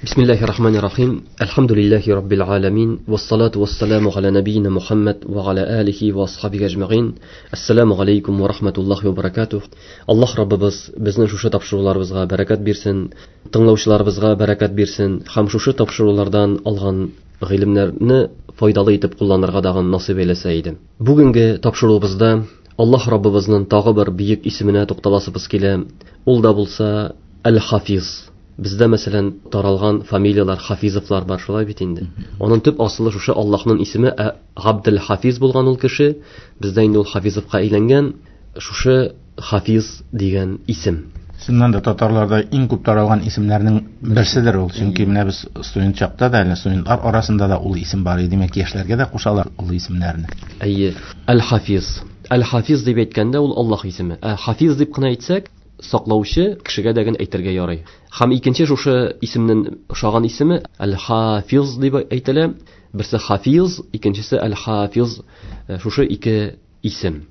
Бисмиллахи рахмани рахим. Әлхәмдүлилләһи раббил аламин. Вассалату вассаламу аля набийна Мухаммад ва аля алихи ва асхабихи әҗмәгыйн. Ассаламу алейкум ва рахматуллахи ва баракатух. Аллаһ Раббыбыз безнең шушы тапшыруларыбызга бәрәкәт бирсен, тыңлаучыларыбызга бәрәкәт бирсен һәм шушы тапшырулардан алган гыйлемнәрне файдалы итеп кулланырга дагын насыйп әйләсә иде. Бүгенге тапшыруыбызда Аллаһ Раббыбызның тагы бер бөек исеменә тукталасыбыз килә. Ул да булса Әл-Хафиз. Бездә, мәсәлән, таралган фамилияләр Хафизовлар бар, шулай бит инде. Аның төп асылы шушы Аллаһның исеме Габдел Хафиз булган ул кеше. Бездә инде ул Хафизовка әйләнгән. Шушы Хафиз дигән исем. Чыннан да татарларда иң күп таралган исемнәрнең берседер ул. Чөнки менә без студент чакта да, әле студентлар арасында да ул исем бар иде. Димәк, яшьләргә дә кушалар ул исемнәрне. Әйе, Әл-Хафиз. Әл-Хафиз дип әйткәндә ул Аллаһ исеме. Ә Хафиз дип кына әйтсәк, саклаучы кешегә дә генә әйтергә ярый. Һәм икенче шушы исемнең ошаган исеме Әл-Хафиз дип әйтелә. Берсе Хафиз, икенчесе Әл-Хафиз. Шушы ике исем.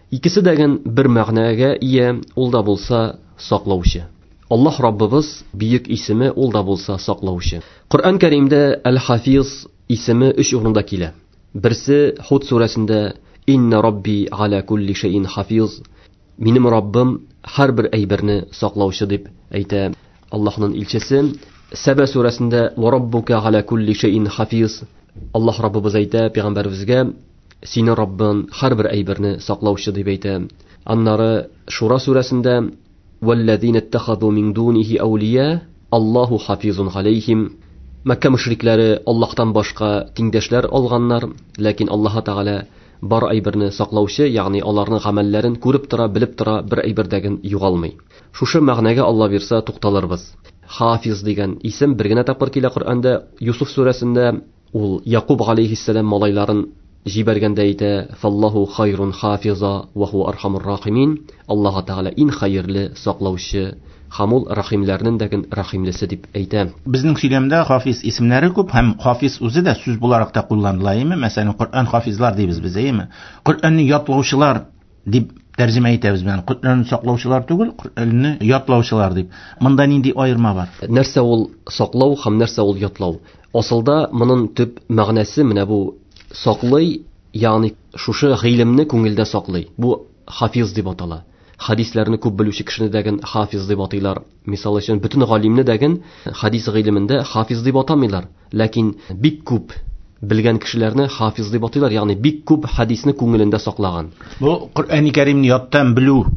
Икесе дә ген бер мәгънәгә ия, ул да булса саклаучы. Аллаһ Раббыбыз бөек исеме, ул да булса саклаучы. Коръән Кәримдә Әл-Хафиз исеме өч урында килә. Берсе Худ сүрәсендә Инна Рабби аля кулли шәйин хафиз. Минем Раббым һәрбер әйберне саклаучы дип әйтә Аллаһның илчесе. Сәбә сүрәсендә Ва раббука аля кулли шәйин хафиз. Аллаһ Раббыбыз әйтә пәйгамбәребезгә, сине Раббың һәрбер әйберне саклаучы дип әйтә. Аннары Шура сүрәсендә Валлазина иттахазу мин дунихи аулия Аллаһу хафизун алейхим. Мәккә мөшрикләре Аллаһтан башка тиңдәшләр алганнар, ләкин Аллаһ Тәгалә бар әйберне саклаучы, ягъни аларның гамәлләрен күреп тора, белеп тора, бер әйбердәген югалмый. Шушы мәгънәгә Алла бирсә тукталырбыз. Хафиз дигән исем бер генә тапкыр килә Коръәндә, Юсуф сүрәсендә ул Якуб алейхиссәлам малайларын җибәргәндә әйтә: "Фаллаху хайрун хафиза ва хуа архамур рахимин". Аллаһ Тәгалә иң хәерле саклаучы һәм ул рәхимләрнең дә рәхимлесе дип әйтә. Безнең сөйләмдә хафиз исемнәре күп һәм хафиз үзе дә сүз буларак та кулланыла, әйеме? Мәсәлән, Коръән хафизлар дибез без, әйеме? Коръәнне ятлаучылар дип тәрҗемә итәбез менә. Коръәнне саклаучылар түгел, Коръәнне ятлаучылар дип. Монда нинди аерма бар? Нәрсә ул саклау һәм нәрсә ул ятлау? Асылда моның төп мәгънәсе менә бу саклый, ягъни шушы гыйлемне күңелдә саклый. Бу хафиз дип атала. Хадисләрне күп белүче кешене дәген хафиз дип атыйлар. Мисал өчен, бөтен галимне дәген хадис гыйлемендә хафиз дип атамыйлар. Ләкин бик күп белгән кешеләрне хафиз дип атыйлар, ягъни бик күп хадисне күңелендә саклаган. Бу Коръәни Кәримне яттан белү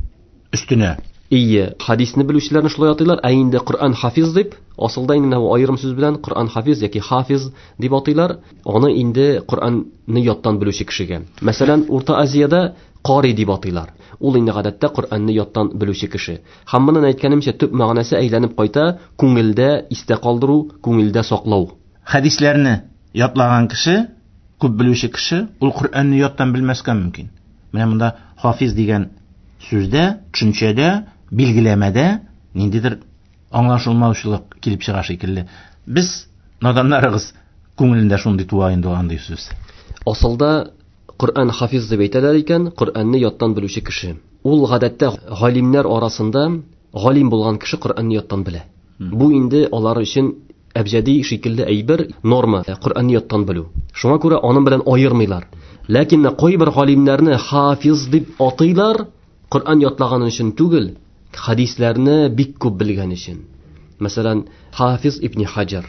өстенә. Ие, хадисне белүчеләрне шулай атыйлар, ә инде Коръән хафиз дип, асылда инде менә бу аерым сүз белән Коръән хафиз яки хафиз дип атыйлар, аны инде Коръәнне яттан белүче кешегә. Мәсәлән, Урта Азиядә кари дип атыйлар. Ул инде гадәттә Коръәнне яттан белүче кеше. Һәм моның әйткәнемчә төп мәгънәсе әйләнеп кайта күңелдә истә калдыру, күңелдә саклау. Хадисләрне ятлаган кеше, күп белүче кеше, ул Коръәнне яттан белмәскә мөмкин. Менә монда хафиз дигән сүздә, төшенчәдә, билгеләмәдә ниндидер аңлашылмаучылык килеп чыга шикелле. Без наданнарыгыз күңелендә шундый туа инде андый сүз. Асылда Коръән хафиз дип әйтәләр икән, Коръәнне яттан белүче кеше. Ул гадәттә галимнәр арасында галим булган кеше Коръәнне яттан белә. Бу инде алар өчен әбҗәди шикелле әйбер, норма, Коръәнне яттан белү. Шуңа күрә аның белән аермыйлар. Ләкин кайбер галимнәрне хафиз дип атыйлар, Коръән ятлаган өчен түгел, хадисләрне бик күп белгән өчен. Мәсәлән, Хафиз ибн Хаҗар,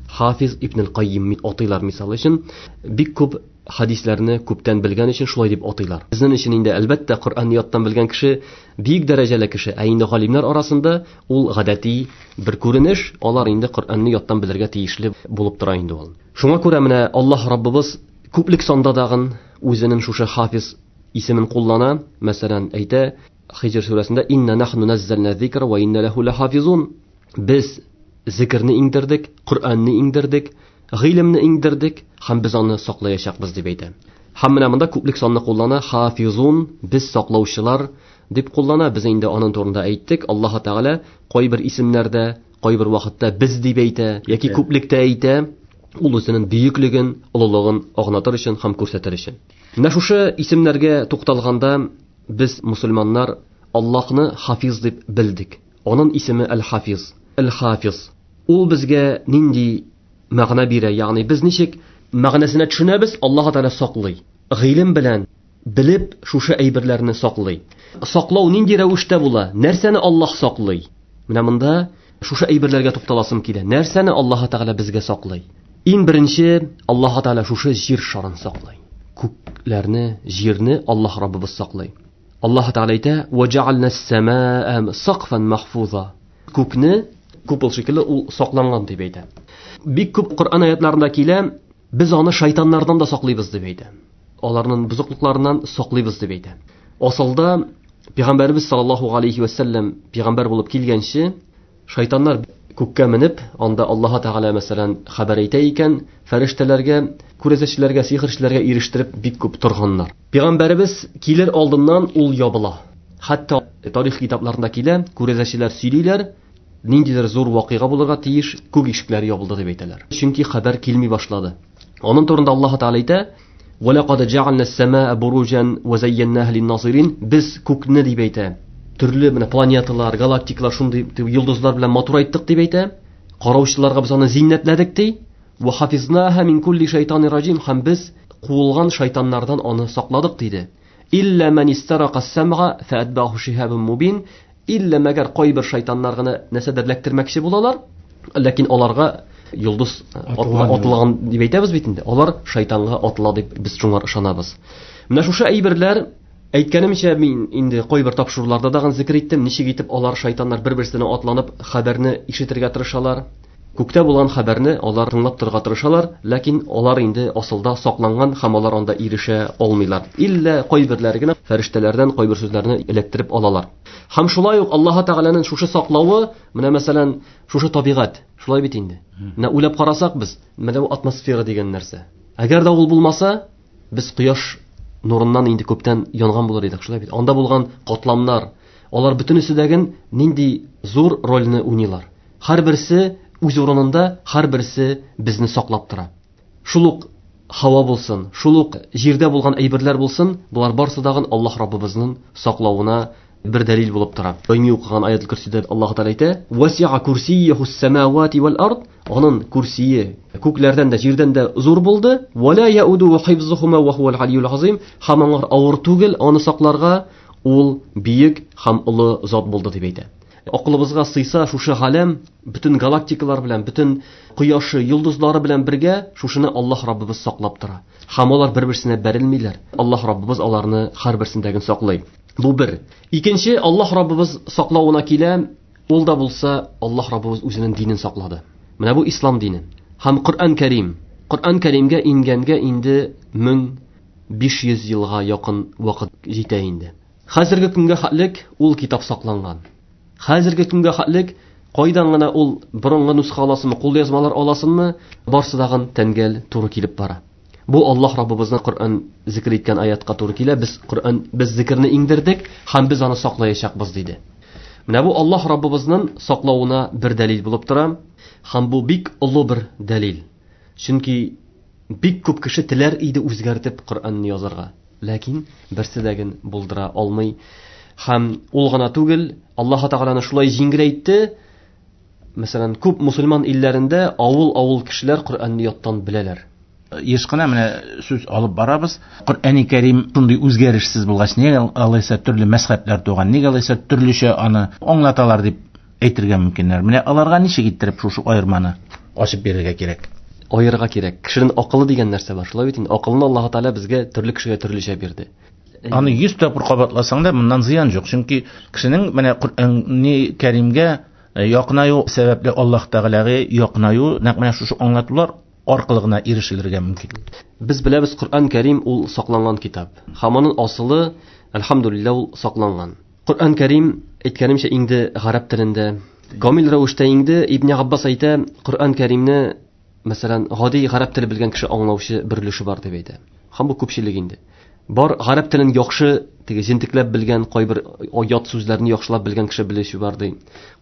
Хафиз ибн Кайим атыйлар мисал өчен, бик күп хадисләрне күптән белгән өчен шулай дип атыйлар. Безнең өчен инде әлбәттә Коръәнне яттан белгән кеше бик дәрәҗәле кеше, ә инде галимнәр арасында ул гадәти бер күренеш, алар инде Коръәнне яттан белергә тиешле булып тора инде ул. Шуңа күрә менә Аллаһ Раббыбыз күплек санда дагын үзенең шушы хафиз исемен куллана, мәсәлән, әйтә Хиҗр сүрәсендә инна нахну наззална зикра ва инна лаху лахафизун. Без зикрне иңдердек, Коръәнне иңдердек, гыйлемне иңдердек һәм без аны саклаячакбыз дип әйтә. Һәм менә монда күплек санны куллана, хафизун, без саклаучылар дип куллана. Без инде аның турында әйттек. Аллаһ Тәгалә кайбер исемнәрдә, кайбер вакытта без дип әйтә яки күплектә әйтә. Ул үзенең бөеклеген, олылыгын аңлатыр өчен һәм күрсәтер өчен. Менә шушы исемнәргә тукталганда без мусульманнар Аллаһны хафиз дип белдек. Аның исеме Әл-Хафиз. Әл-Хафиз. Ул безгә нинди мәгънә бирә? Ягъни без ничек мәгънәсенә төшенәбез? Аллаһ Тәгалә саклый. Гыйлем белән белеп шушы әйберләрне саклый. Саклау нинди рәвештә була? Нәрсәне Аллаһ саклый? Менә монда шушы әйберләргә тукталасым килә. Нәрсәне Аллаһ Тәгалә безгә саклый? Иң беренче Аллаһ Тәгалә шушы җир шарын саклый. Күкләрне, җирне Аллаһ Раббыбыз саклый. Аллаһ Тәгалә әйтә: "Ва җәгальнә ас-самаа сакфан махфуза". Күкне купол шикелле ул сакланган дип әйтә. Бик күп Коръән аятларында килә, без аны шайтаннардан да саклыйбыз дип әйтә. Аларның бозыклыкларыннан саклыйбыз дип әйтә. Асылда Пәйгамбәрбез саллаллаһу алейхи ва саллям пәйгамбәр булып килгәнче, шайтаннар күккә менеп, анда Аллаһ Тәгалә мәсәлән хәбәр әйтә икән, фәрештәләргә, күрәзәчеләргә, сихерчеләргә ирештереп бик күп торганнар. Пәйгамбәребез килер алдыннан ул ябыла. Хәтта тарих китапларында килә, күрәзәчеләр сөйлиләр, ниндидер зур вакыйга булырга тиеш, күк ишекләре ябылды дип әйтәләр. Чөнки хәбәр килми башлады. Аның турында Аллаһ Тәгалә әйтә: "Ва лакад җәгальнә ас-самаа буруҗан ва зәйяннаһа лин-назирин". Без күкне дип әйтә. Төрле менә планеталар, галактикалар шундый йолдызлар белән матурайттык дип әйтә. Караучыларга без аны зиннәтләдек ди. Ва хафизнаһа мин кулли шайтанир раҗим. Һәм без куылган шайтаннардан аны сакладык диде. Илля ман истарака ас-самга фаатбаху шиһабун мубин. Илля мәгәр кайбер шайтаннар гына нәрсәдер эләктермәкче булалар, ләкин аларга йолдыз атылган дип әйтәбез бит инде. Алар шайтанга атыла дип без шуңар ышанабыз. Менә шушы әйберләр, әйткәнемчә, мин инде кайбер тапшыруларда да зикер иттем, ничек итеп алар шайтаннар бер-берсенә атланып хәбәрне ишетергә тырышалар. Күктә булган хәбәрне алар тыңлап торырга тырышалар, ләкин алар инде асылда сакланган һәм алар анда ирешә алмыйлар. Иллә кайберләре генә фәрештәләрдән кайбер сүзләрне эләктереп алалар. Һәм шулай ук Аллаһ Тәгаләнең шушы саклавы, менә мәсәлән, шушы табигать, шулай бит инде. Менә уйлап карасак без, менә бу атмосфера дигән нәрсә. Әгәр дә ул булмаса, без кояш нурыннан инде күптән янган булыр идек, шулай бит. Анда булган катламнар, алар бөтенесе дәген нинди зур рольне уйныйлар. Һәрберсе үз урынында, һәрберсе безне саклап тора. Шул ук һава булсын, шул ук җирдә булган әйберләр булсын, болар барсы дагын Аллаһ Раббыбызның саклавына бер дәлил булып тора. Даими укыган аятул Курсидә Аллаһ Тәгалә әйтә: "Васиа курсияху ас-самавати вал ард". Аның курсие күкләрдән дә, җирдән дә зур булды. Ва ла яуду хифзухума ва хуал алиюл азим. Һәм аңар авыр түгел аны сакларга, ул бөек һәм олы зат булды дип әйтә. Акылыбызга сыйса шушы галәм, бөтен галактикалар белән, бөтен кояшы, йолдызлары белән бергә шушыны Аллаһ Раббыбыз саклап тора. Һәм алар бер-берсенә бәрелмиләр. Аллаһ Раббыбыз аларны һәрберсендәген саклый. Бу бер. Икенче, Аллаһ Раббыбыз саклавына килә, ул да булса Аллаһ Раббыбыз үзенең динен саклады. Менә бу ислам дине. Һәм Коръән Кәрим. Коръән Кәримгә ингәнгә инде 1500 елга якын вакыт җитә инде. Хәзерге көнгә хәтлек ул китап сакланган. Хәзерге көнгә хәтлек кайдан гына ул борынгы нусха аласынмы, кулъязмалар аласынмы, барсы дагын тәңгәл туры килеп бара. Бу Аллаһ Раббыбызның Коръән зикр иткән аятка туры килә. Без Коръән, без зикрне иңдердек һәм без аны саклаячакбыз диде. Менә бу Аллаһ Раббыбызның саклавына бер дәлил булып тора һәм бу бик олы бер дәлил. Чөнки бик күп кеше теләр иде үзгәртеп Коръәнне язарга, ләкин берсе дә ген булдыра алмый. Һәм ул гына түгел, Аллаһ Тәгаләне шулай җиңеләйтте. Мәсәлән, күп мусульман илләрендә авыл-авыл кешеләр Коръәнне яттан беләләр. Еш кына менә сүз алып барабыз. Коръәни Кәрим шундый үзгәрешсез булгач, нигә алайса төрле мәзһәбләр туган, нигә алайса төрлечә аны аңлаталар дип әйтергә мөмкиннәр. Менә аларга ничек иттереп шушы аерманы ачып бирергә кирәк? Аерырга кирәк. Кешенең акылы дигән нәрсә бар. Шулай бит инде. Акылны Аллаһ Тәгалә безгә төрле кешегә төрлечә бирде. Аны 100 тапкыр кабатласаң да моннан зыян юк. Чөнки кешенең менә Коръәни Кәримгә якынаю сәбәпле Аллаһ Тәгаләгә якынаю нәкъ менә шушы аңлатулар аркылы гына ирешелергә мөмкин. Без беләбез, Коръән Кәрим ул сакланган китап. Һәм аның асылы, әлхәмдүлилләһ, ул сакланган. Коръән Кәрим, әйткәнемчә, инде гарәп телендә камил рәвештә инде. Ибн Аббас әйтә, Коръән Кәримне, мәсәлән, гади гарәп теле белгән кеше аңлаучы бер өлеше бар дип әйтә. Һәм бу күпчелек инде. Бар гарәп телен яхшы, теге җентекләп белгән, кайбер ят сүзләрне яхшылап белгән кеше белүче бар ди.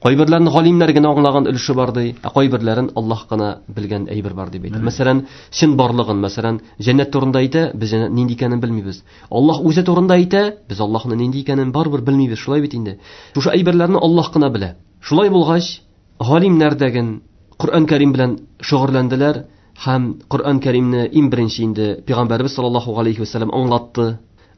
Кайберләрен галимнәр генә аңлаган өлеше бар ди, ә кайберләрен Аллаһ кына белгән әйбер бар дип әйтә. Мәсәлән, чын барлыгын, мәсәлән, җәннәт турында әйтә, без җәннәт нинди икәнен белмибез. Аллаһ үзе турында әйтә, без Аллаһның нинди икәнен барыбер белмибез, шулай бит инде. Шушы әйберләрне Аллаһ кына белә. Шулай булгач, галимнәр дәген Коръән Кәрим белән шөгыльләнделәр һәм Коръән Кәримне иң беренче инде Пәйгамбәрбез саллаллаһу алейхи ва сәлләм аңлатты.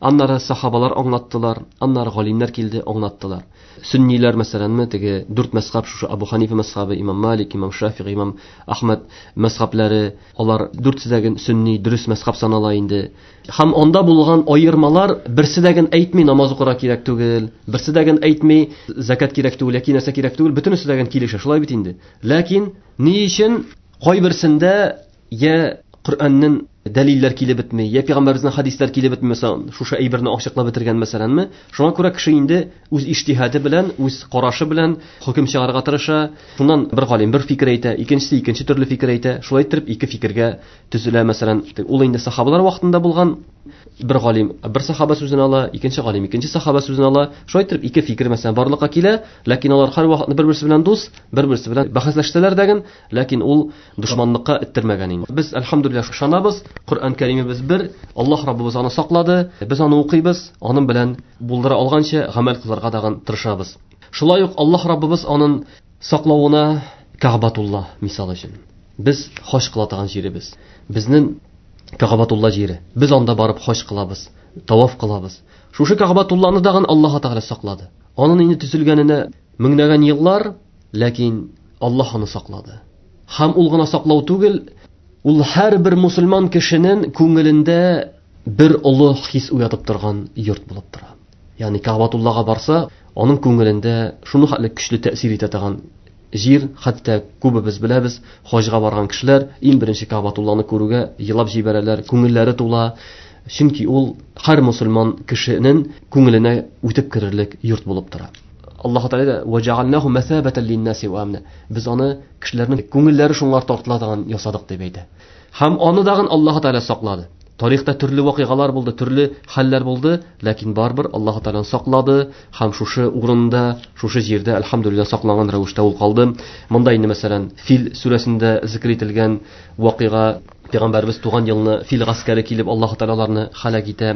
Аннары сахабалар аңлаттылар, аннары галимнәр килде, аңлаттылар. Сөнниләр мәсәләнме, теге дүрт мәзхәб, шушы Абу Ханифа мәзхәбе, Имам Малик, Имам Шафигъ, Имам Ахмад мәзхәбләре, алар дүртсе дә сөнни, дөрес мәзхәб санала инде. Һәм анда булган аермалар берсе дә әйтми намаз укырга кирәк түгел, берсе дә әйтми закат кирәк түгел, яки нәрсә кирәк түгел, бөтенесе дә килешә, шулай бит инде. Ләкин ни өчен кайберсендә я Коръәннең дәлилләр килеп бетми, я пәйгамбәребезнең хәдисләр килеп бетми, мәсәлән, шушы әйберне ачыклап бетергән мәсәләнме? Шуңа күрә кеше инде үз иҗтиһады белән, үз карашы белән хөкем чыгарырга тырыша. Шуннан бер галим бер фикер әйтә, икенчесе икенче төрле фикер әйтә. Шулай итеп ике фикергә төзелә, мәсәлән, ул инде сахабалар вакытында булган бер галим бер сахаба сүзен ала, икенче галим икенче сахаба сүзен ала. Шулай итеп ике фикер мәсәлән барлыкка килә, ләкин алар һәрвакытны бер-берсе белән дус, бер-берсе белән бәхәсләшсәләр дә, ләкин ул дошманлыкка эттермәгән инде. Без әлхәмдүлилләһ ышанабыз, Коръән Кәримебез бер, Аллаһ Раббыбыз аны саклады, без аны укыйбыз, аның белән булдыра алганча гамәл кылырга дагын тырышабыз. Шулай ук Аллаһ Раббыбыз аның саклавына Кәгъбатулла мисал өчен. Без хаҗ кыла торган җиребез. Безнең Кәгъбатулла җире. Без анда барып хаҗ кылабыз, таваф кылабыз. Шушы Кәгъбатулланы дагын Аллаһ Тәгалә саклады. Аның инде төзелгәненә меңләгән еллар, ләкин Аллаһ аны саклады. Һәм ул гына саклау түгел, ул һәрбер мусульман кешенең күңелендә бер олы хис уятып торган йорт булып тора. Ягъни Кәгъбатуллага барса, аның күңелендә шуны хәтле көчле тәэсир итә торган җир, хәтта күбебез беләбез, хаҗга барган кешеләр иң беренче Кәгъбатулланы күрүгә елап җибәрәләр, күңелләре тула. Чөнки ул һәр мусульман кешенең күңеленә үтеп керерлек йорт булып тора. Аллаһ Тәгалә вәҗәгальнаху мәсабәтән линнаси ва амна. Без аны кешеләрнең күңелләре шуңар тартыла торган ясадык дип әйтә. Һәм аны дагын Аллаһ Тәгалә саклады. Тарихта төрле вакыйгалар булды, төрле хәлләр булды, ләкин барыбер Аллаһ Тәгалә саклады һәм шушы урында, шушы җирдә әлхәмдүлилләһ сакланган рәвештә ул калды. Монда инде мәсәлән Фил сүрәсендә зикр ителгән вакыйга, пәйгамбәребез туган елны фил гаскәре килеп Аллаһ Тәгалә аларны һәлак итә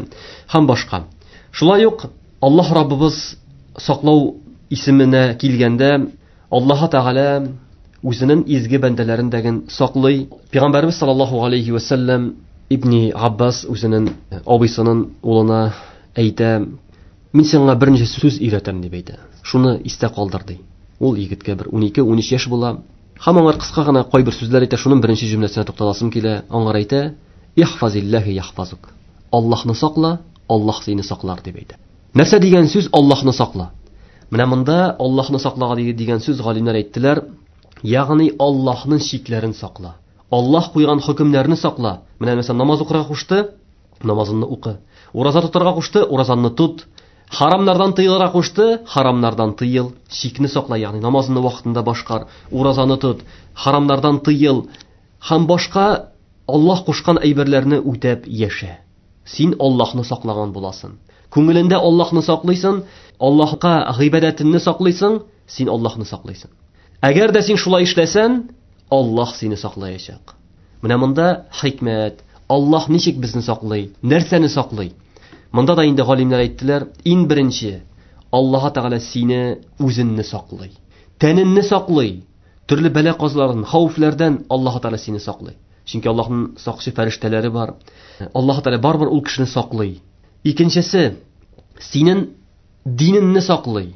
һәм башка. Шулай ук Аллаһ Раббыбыз саклау исеменә килгәндә Аллаһ Тәгалә үзенең изге бәндәләрен дәген саклый. Пәйгамбәребез саллаллаһу алейхи ва сәлләм Ибни Аббас үзенең абыйсының улына әйтә: "Мин сиңа берничә сүз өйрәтәм", дип әйтә. Шуны истә калдыр, ди. Ул егеткә бер 12-13 яшь була. Һәм аңар кыска гына кайбер сүзләр әйтә, шуның беренче җөмләсенә тукталасым килә. Аңар әйтә: "Ихфазиллаһи яхфазук". Аллаһны сакла, Аллаһ сине саклар, дип әйтә. Нәрсә дигән сүз Аллаһны сакла? Менә монда Аллаһны саклага дигән сүз галимнәр әйттеләр, ягъни Аллаһның чикләрен сакла. Аллаһ куйган хөкемнәрне сакла. Менә мәсәлән намаз укырга кушты, намазыңны укы. Ураза тотарга кушты, уразаңны тот. Харамнардан тыелырга кушты, харамнардан тыел. Чикне сакла, ягъни намазыңны вакытында башкар, уразаны тот, харамнардан тыел һәм башка Аллаһ кушкан әйберләрне үтәп яшә. Син Аллаһны саклаган буласың. Күңелендә Аллаһны саклыйсың, Аллаһка гыйбадәтеңне саклыйсың, син Аллаһны саклыйсың. Әгәр дә син шулай эшләсәң, Аллаһ сине саклаячак. Менә монда хикмәт. Аллаһ ничек безне саклый? Нәрсәне саклый? Монда да инде галимнәр әйттеләр, иң беренче Аллаһ Тәгалә сине үзеңне саклый. Тәнеңне саклый. Төрле бәла-казалардан, хәвефләрдән Аллаһ Тәгалә сине саклый. Чөнки Аллаһның сакчы фәрештәләре бар. Аллаһ Тәгалә барыбер ул кешене саклый. Икенчесе, синең динеңне саклый.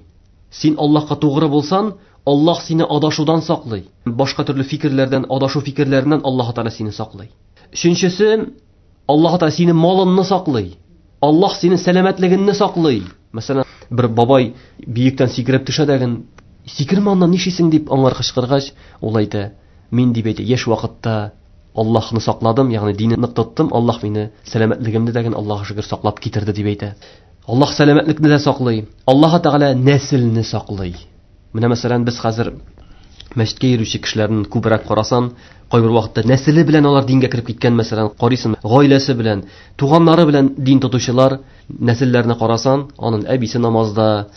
Син Аллаһка тугры булсаң, Аллаһ сине адашудан саклый. Башка төрле фикерләрдән, адашу фикерләреннән Аллаһ Тәгалә сине саклый. Өченчесе, Аллаһ Тәгалә синең малыңны саклый. Аллаһ синең сәламәтлегеңне саклый. Мәсәлән, бер бабай биектән сикереп төшә дәген, сикермә аннан, нишлисең дип аңар кычкыргач, ул әйтә: "Мин, дип әйтә, яшь вакытта Аллаһны сакладым, ягъни динне нык тоттым, Аллаһ мине сәламәтлегемне дәген Аллаһ шөкер саклап китерде", дип әйтә. Аллаһ сәламәтлекне дә саклый. Аллаһ Тәгалә нәселне саклый. Менә мәсәлән, без хәзер мәчеткә йөрүче кешеләрне күбрәк карасан, кайбер вакытта нәселе белән алар дингә кереп киткән, мәсәлән, карыйсың, гаиләсе белән, туганнары белән дин тотучылар, нәселләрне карасан, аның әбисе намазда,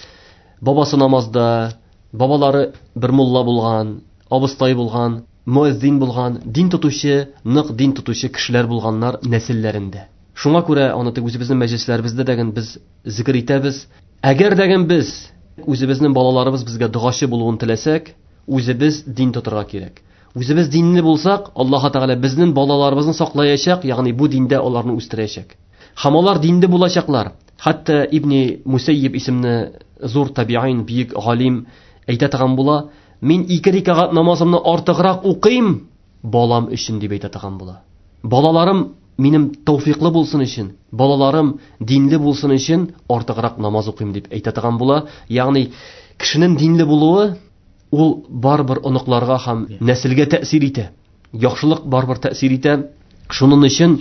бабасы намазда, бабалары бер мулла булган, абыстай булган, муэззин булган, дин тотучы, нык дин тотучы кешеләр булганнар нәселләрендә. Шуңа күрә аны тик үзебезнең мәҗлесләребездә дәген без зикр итәбез. Әгәр дәген без үзебезнең балаларыбыз безгә догачы булуын теләсәк, үзебез дин тотырга кирәк. Үзебез динле булсак, Аллаһ Тәгалә безнең балаларыбызны саклаячак, ягъни бу диндә аларны үстерәчәк. Һәм алар динле булачаклар. Хәтта Ибни Мусәйиб исемле зур табиин, бөек галим әйтә торган була: "Мин 2 рәкәгать намазымны артыграк укыйм балам өчен", дип әйтә торган була. Балаларым минем тәүфиклы булсын өчен, балаларым динле булсын өчен артыграк намаз укыйм дип әйтә торган була. Ягъни кешенең динле булуы ул барыбер оныкларга һәм нәселгә тәэсир итә. Яхшылык барыбер тәэсир итә. Шуның өчен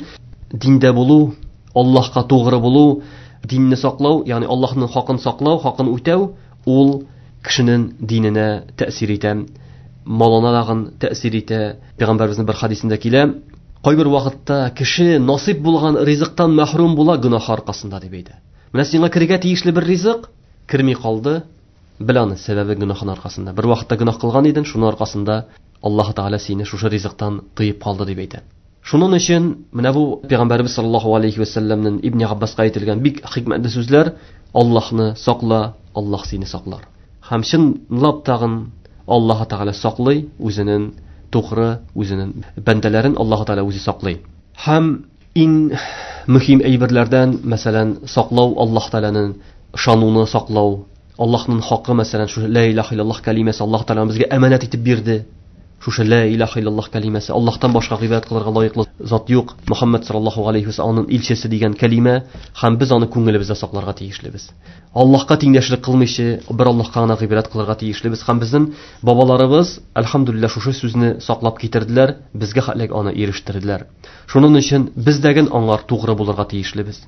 диндә булу, Аллаһка тугры булу, динне саклау, ягъни Аллаһның хакын саклау, хакын үтәү, ул кешенең диненә тәэсир итә, малына дагын тәэсир итә. Пәйгамбәребезнең бер хадисендә килә: кайбер вакытта кеше насыйп булган ризыктан мәхрүм була гөнаһ аркасында, дип әйтә. Менә сиңа керергә тиешле бер ризык керми калды, бел аны, сәбәбе гөнаһын аркасында. Бер вакытта гөнаһ кылган идең, шуның аркасында Аллаһ Тәгалә сине шушы ризыктан тыеп калды, дип әйтә. Шуның өчен менә бу Пәйгамбәребез саллаллаһу алейхи ва сәлләмнең Ибн Аббаска әйтелгән бик хикмәтле сүзләр: Аллаһны сакла, Аллаһ сине саклар. Һәм чынлап тагын Аллаһ Тәгалә саклый үзенең тугры, үзенең бәндәләрен Аллаһ Тәгалә үзе саклый. Һәм иң мөһим әйберләрдән, мәсәлән, саклау Аллаһ Тәгаләнең ышануны саклау, Аллаһның хакы, мәсәлән, шушы ла илаһа иллаллаһ кәлимәсе Аллаһ Тәгалә безгә әманәт итеп бирде. Шушы ла илаһа иллаллаһ кәлимәсе, Аллаһтан башка гыйбадәт кылырга лаеклы зат юк, Мөхәммәд саллаллаһу алейхи ва саллям аның илчесе дигән кәлимә, һәм без аны күңелебездә сакларга тиешлебез. Аллаһка тиңдәшлек кылмыйча, бер Аллаһка гына гыйбадәт кылырга тиешлебез. Һәм безнең бабаларыбыз, әлхәмдүлилләһ, шушы сүзне саклап китерделәр, безгә хәтлек аны ирештерделәр. Шуның өчен без дә аңар тугры булырга тиешлебез.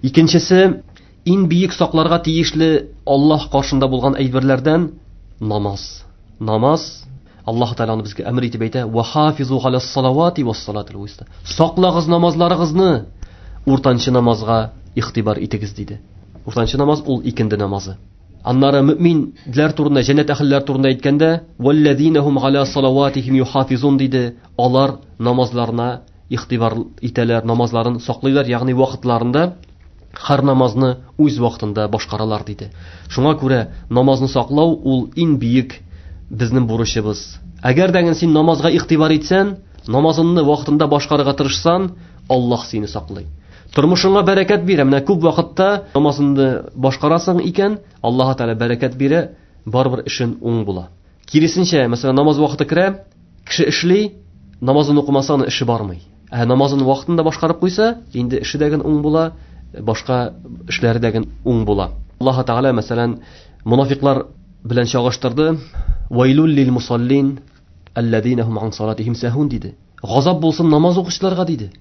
Икенчесе, иң бөек сакларга тиешле Аллаһ каршында булган әйберләрдән намаз. Намаз, Аллаһ Тәгалә аны безгә әмер итеп әйтә: "Ва хафизу галас салавати вас салатил вуста". Саклагыз намазларыгызны, уртанчы намазга игътибар итегез, диде. Уртанчы намаз ул икенде намазы. Аннары мөминләр турында, җәннәт әһелләре турында әйткәндә, "Валлазинахум галя салаватихим юхафизун" диде. Алар намазларына игътибар итәләр, намазларын саклыйлар, ягъни вакытларында һәр намазны үз вакытында башкаралар, диде. Шуңа күрә намазны саклау ул иң бөек безнең бурычыбыз. Әгәр дә син намазга игътибар итсәң, намазыңны вакытында башкарырга тырышсаң, Аллаһ сине саклый. Тормышыңа бәрәкәт бирә. Менә күп вакытта намазыңны башкарасың икән, Аллаһ Тәгалә бәрәкәт бирә, барыбер эшең уң була. Киресенчә, мәсәлән, намаз вакыты керә, кеше эшли, намазын укымаса, аның эше бармый. Ә намазын вакытында башкарып куйса, инде эше дә уң була, башка эшләре дә уң була. Аллаһ Тәгалә, мәсәлән, мунафиклар белән чагыштырды. Вайлул лил мусаллин аллазина хум ан салатихим сахун, диде. Газап булсын намаз укучыларга, диде.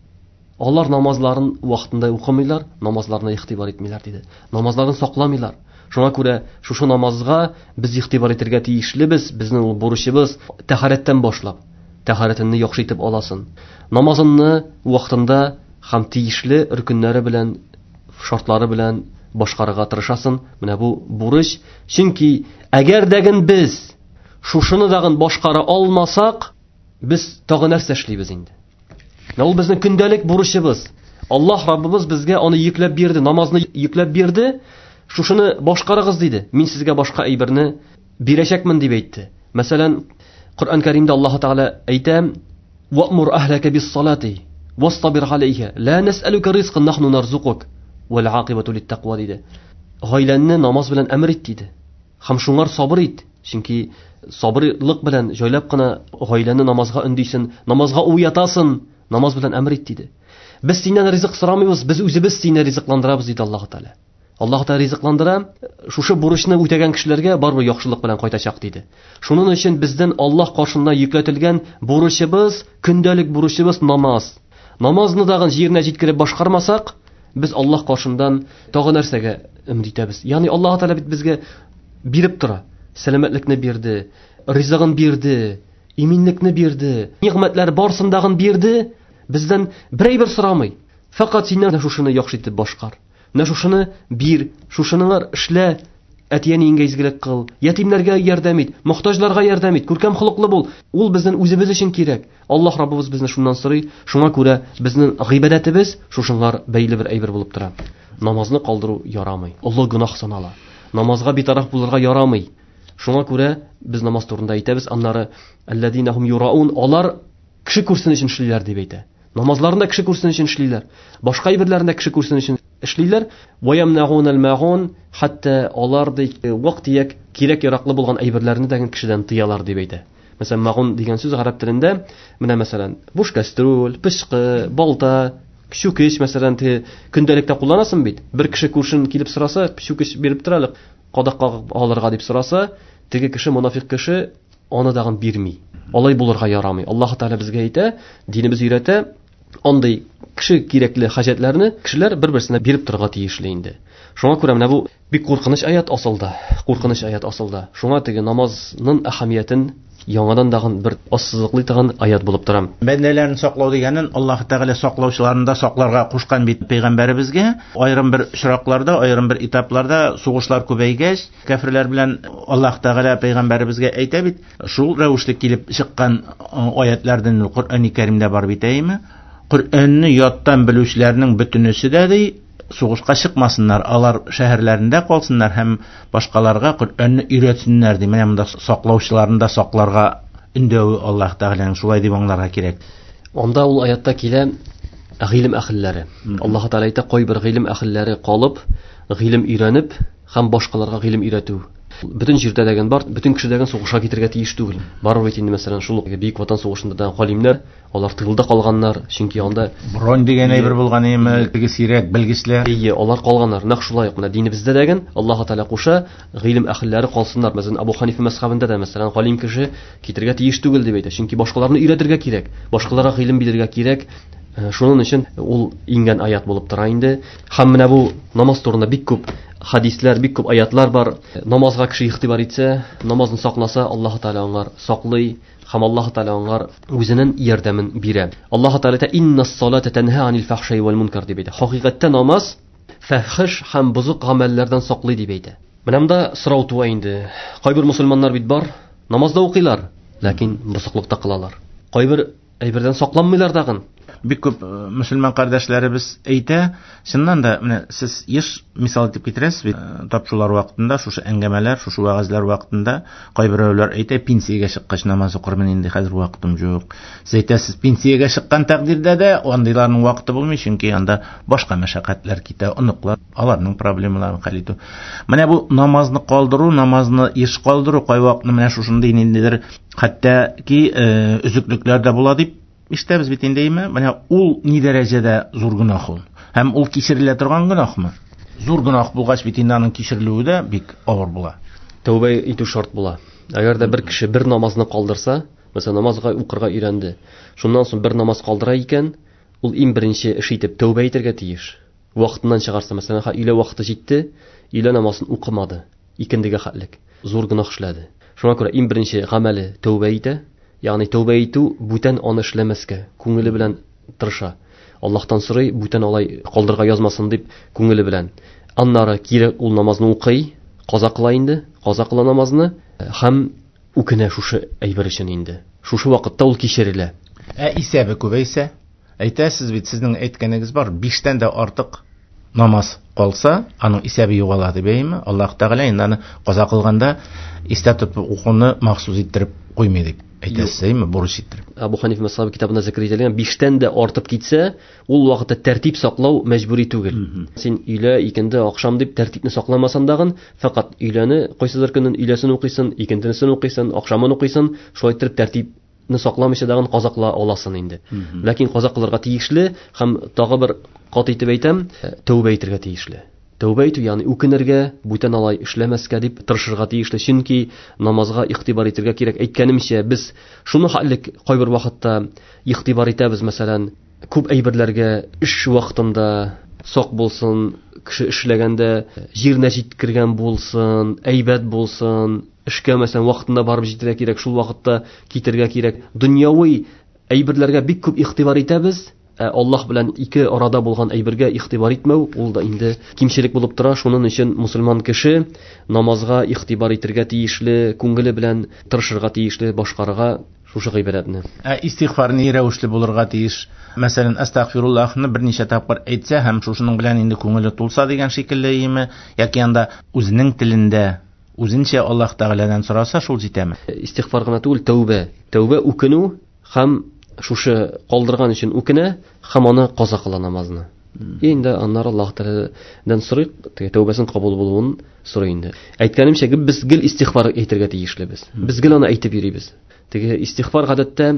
Алар намазларын вакытында укымыйлар, намазларына игътибар итмиләр, диде. Намазларын сакламыйлар. Шуңа күрә шушы намазга без игътибар итәргә тиешлебез, безнең ул бурычыбыз. Тәһарәттән башлап, тәһарәтеңне яхшы итеп аласың. Намазыңны вакытында һәм тиешле рөкеннәре белән, шартлары белән башкарырга тырышасың. Менә бу бурыч. Чөнки әгәр дә без шушыны дагын башкара алмасак, без тагы нәрсә эшлибез инде? Менә ул безнең көндәлек бурычыбыз. Аллаһ Раббыбыз безгә аны йөкләп бирде, намазны йөкләп бирде. Шушыны башкарыгыз, диде. Мин сезгә башка әйберне бирәчәкмен, дип әйтте. Мәсәлән, Коръән Кәримдә Аллаһ Тәгалә әйтә: "Ва'мур әһләкә бис-салати вастабир галәйһа, ла нас'алука ризкан нахну нарзукук, вал акибату лит-таква", диде. Гаиләңне намаз белән әмер ит, диде. Һәм шуңар сабыр ит, чөнки сабырлык белән җайлап кына гаиләне намазга өндисен, намазга уятасың, намаз белән әмер ит, диде. Без синнән ризык сорамыйбыз, без үзебез сине ризыкландырабыз, диде Аллаһ Тәгалә. Аллаһ Тәгалә ризыкландыра, шушы бурычны үтәгән кешеләргә барыбер яхшылык белән кайтачак, диде. Шуның өчен бездән Аллаһ каршында йөкләтелгән бурычыбыз, көндәлек бурычыбыз намаз. Намазны дагын җиренә җиткереп башкармасак, без Аллаһ каршындан тагы нәрсәгә өмет итәбез? Ягъни Аллаһ Тәгалә бит безгә биреп тора. Сәламәтлекне бирде, ризыгын бирде, иминлекне бирде, нигъмәтләр барсын дагын бирде, бездән бер әйбер сорамый. Фәкать синнән шушыны яхшы итеп башкар. Менә шушыны бир, шушыныңар эшлә, әти-әниеңгә изгелек кыл, ятимнәргә ярдәм ит, мохтаҗларга ярдәм ит, күркәм холыклы бул. Ул безнең үзебез өчен кирәк. Аллаһ Раббыбыз безне шуннан сорый. Шуңа күрә безнең гыйбадәтебез шушыңар бәйле бер әйбер булып тора. Намазны калдыру ярамый. Олы гөнаһ санала. Намазга битараф булырга ярамый. Шуңа күрә без намаз турында әйтәбез, аннары аллазина хум юраун, алар кеше күрсен өчен эшлиләр дип әйтә. Намазларында кеше күрсен өчен эшлиләр. Башка әйберләрендә кеше күрсен өчен эшлиләр. Ва ямнагунал маун, хәтта алар ди вак-төяк кирәк яраклы булган әйберләрне дә кешедән тыялар дип әйтә. Мәсәлән, магун дигән сүз гарәп телендә менә мәсәлән, буш кастрюль, пычкы, балта, чүкеч, мәсәлән, көндәлектә кулланасың бит. Бер кеше күршен килеп сораса, чүкеч биреп тор әле, кадак кагып алырга дип сораса, теге кеше, монафик кеше, аны дагын бирми. Алай булырга ярамый. Аллаһ Тәгалә безгә әйтә, динебез өйрәтә, андый кеше кирәкле хаҗәтләрне кешеләр бер-берсенә биреп торырга тиешле инде. Шуңа күрә менә бу бик куркыныч аят асылда, куркыныч аят асылда. Шуңа теге намазның әһәмиятен яңадан дагын бер ассызыклый торган аят булып тора. Бәндәләрен саклау дигәнен Аллаһ Тәгалә саклаучыларын да сакларга кушкан бит пәйгамбәребезгә. Аерым бер очракларда, аерым бер этапларда сугышлар күбәйгәч, кәферләр белән Аллаһ Тәгалә пәйгамбәребезгә әйтә бит, шул рәвешле килеп чыккан аятлардан Коръән-и Кәримдә бар бит, әйеме? Коръәнне яттан белүчеләрнең бөтенесе дә ди, сугышка чыкмасыннар, алар шәһәрләрендә калсыннар һәм башкаларга Коръәнне өйрәтсеннәр ди. Менә монда саклаучыларны да сакларга өндәве Аллаһ Тәгаләнең, шулай дип аңларга кирәк. Анда ул аятта килә гыйлем әһелләре. Аллаһ Тәгалә әйтә, кайбер гыйлем әһелләре калып, гыйлем өйрәнеп һәм башкаларга гыйлем өйрәтү. Бөтен җирдә дәген бар, бөтен кеше дәген сугышка китергә тиеш түгел. Бар бит инде, мәсәлән, шул ук Бөек Ватан сугышында да галимнәр, алар тылда калганнар, чөнки анда бронь дигән әйбер булган име, теге сирәк белгечләр. Әйе, алар калганнар. Нәкъ шулай ук менә динебездә дәген Аллаһ Тәгалә куша, гыйлем әһелләре калсыннар. Мәсәлән, Абу Ханифа мәзһәбендә дә, мәсәлән, галим кеше китергә тиеш түгел дип әйтә, чөнки башкаларны өйрәтергә кирәк, башкаларга гыйлем бирергә кирәк. Шуның өчен ул иңгән аят булып тора инде. Һәм менә бу намаз турында бик күп хадисләр, бик күп аятлар бар. Намазга кеше игътибар итсә, намазын сакласа, Аллаһ Тәгалә аңар саклый һәм Аллаһ Тәгалә аңар үзенең ярдәмен бирә. Аллаһ Тәгалә әйтә, Иннас салата танһа анил фахшаи вал мункар дип әйтә. Хакыйкатьтә намаз фахиш һәм бозык гамәлләрдән саклый дип әйтә. Менә монда сорау туа инде. Кайбер мусульманнар бит бар, намазда укыйлар, ләкин бозыклыкта кылалар. Кайбер әйбердән сакланмыйлар дагын. Бик күп мөселман кардәшләребез әйтә, чыннан да менә сез еш мисал итеп китерәсез бит, тапшырулар вакытында, шушы әңгәмәләр, шушы вәгазьләр вакытында кайберәүләр әйтә, пенсиягә чыккач намаз укырмын инде, хәзер вакытым юк. Сез әйтәсез, пенсиягә чыккан тәкъдирдә дә андыйларның вакыты булмый, чөнки анда башка мәшәкатьләр китә, оныклар, аларның проблемаларын хәл итү. Менә бу намазны калдыру, намазны еш калдыру, кайвакытны менә шушындый ниндидер хәтта ки өзеклекләр дә була дип ишетәбез бит инде, әйме? Менә ул ни дәрәҗәдә зур гөнаһ ул? Һәм ул кичерелә торган гөнаһмы? Зур гөнаһ булгач бит инде аның кичерелүе дә бик авыр була. Тәүбә итү шарт була. Әгәр дә бер кеше бер намазны калдырса, мәсәлән, намазга укырга өйрәнде, шуннан соң бер намаз калдыра икән, ул иң беренче эш итеп тәүбә итәргә тиеш. Вакытыннан чыгарса, мәсәлән, өйлә вакыты җитте, өйлә намазын укымады, икендегә хәтлек, зур гөнаһ эшләде. Шуңа күрә иң беренче гамәле тәүбә итә, ягъни тәүбә итү бүтән аны эшләмәскә, күңеле белән тырыша. Аллаһтан сорый, бүтән алай калдырга язмасын дип күңеле белән. Аннары кире ул намазны укый, каза кыла инде, каза кыла намазны һәм үкенә шушы әйбер өчен инде. Шушы вакытта ул кичерелә. Ә исәбе күбәйсә, әйтәсез бит, сезнең әйткәнегез бар, 5тән дә артык намаз калса, аның исәбе югала дип, әйеме? Аллаһ Тәгалә инде аны каза кылганда истә тотып укуны махсус иттереп куймый дип әйтәсез, әйеме? Бурыч иттереп. Абу Ханифа мәзһәбе китабында зикр ителгән 5тән дә артып китсә, ул вакытта тәртип саклау мәҗбүри түгел. Син өйлә, икенде, ахшам дип тәртипне сакламасаң дагын, фәкать өйләне кайсыдыр көнен өйләсен укыйсың, икендесен укыйсың, ахшамын укыйсың, шулай иттереп тәртипне сакламыйча дагын каза кыла аласың инде. Ләкин каза кылырга тиешле һәм тагы бер кат итеп әйтәм, тәүбә итәргә тиешле. Тәүбә итү, ягъни үкенергә, бүтән алай эшләмәскә дип тырышырга тиешле, чөнки намазга игътибар итәргә кирәк. Әйткәнемчә, без шуны хәллек кайбер вакытта игътибар итәбез, мәсәлән, күп әйберләргә эш вакытында сак булсын, кеше эшләгәндә җиренә җиткергән булсын, әйбәт булсын, эшкә мәсәлән вакытында барып җитәргә кирәк, шул вакытта китергә кирәк. Дөньяви әйберләргә бик күп игътибар итәбез, ә Аллаһ белән ике арада булган әйбергә игътибар итмәү, ул да инде кимчелек булып тора. Шуның өчен мусульман кеше намазга игътибар итәргә тиешле, күңеле белән тырышырга тиешле, башкарырга шушы гыйбадәтне. Ә истигъфар ни рәвешле булырга тиеш? Мәсәлән, астагфируллаһны берничә тапкыр әйтсә һәм шушының белән инде күңеле тулса дигән шикелле име, яки анда үзенең телендә Үзенчә Аллаһ Тәгаләдән сораса, шул җитәме? Истигъфар гына түгел, тәүбә. Тәүбә үкенү һәм шушы калдырган өчен үкенә һәм аны каза кыла намазны. Инде аннары Аллаһ Тәгаләдән сорый, тәүбәсен кабул булуын сорый инде. Әйткәнемчә, без гел истигъфар әйтергә тиешлебез. Без гел аны әйтеп йөрибез. Теге истигъфар гадәттә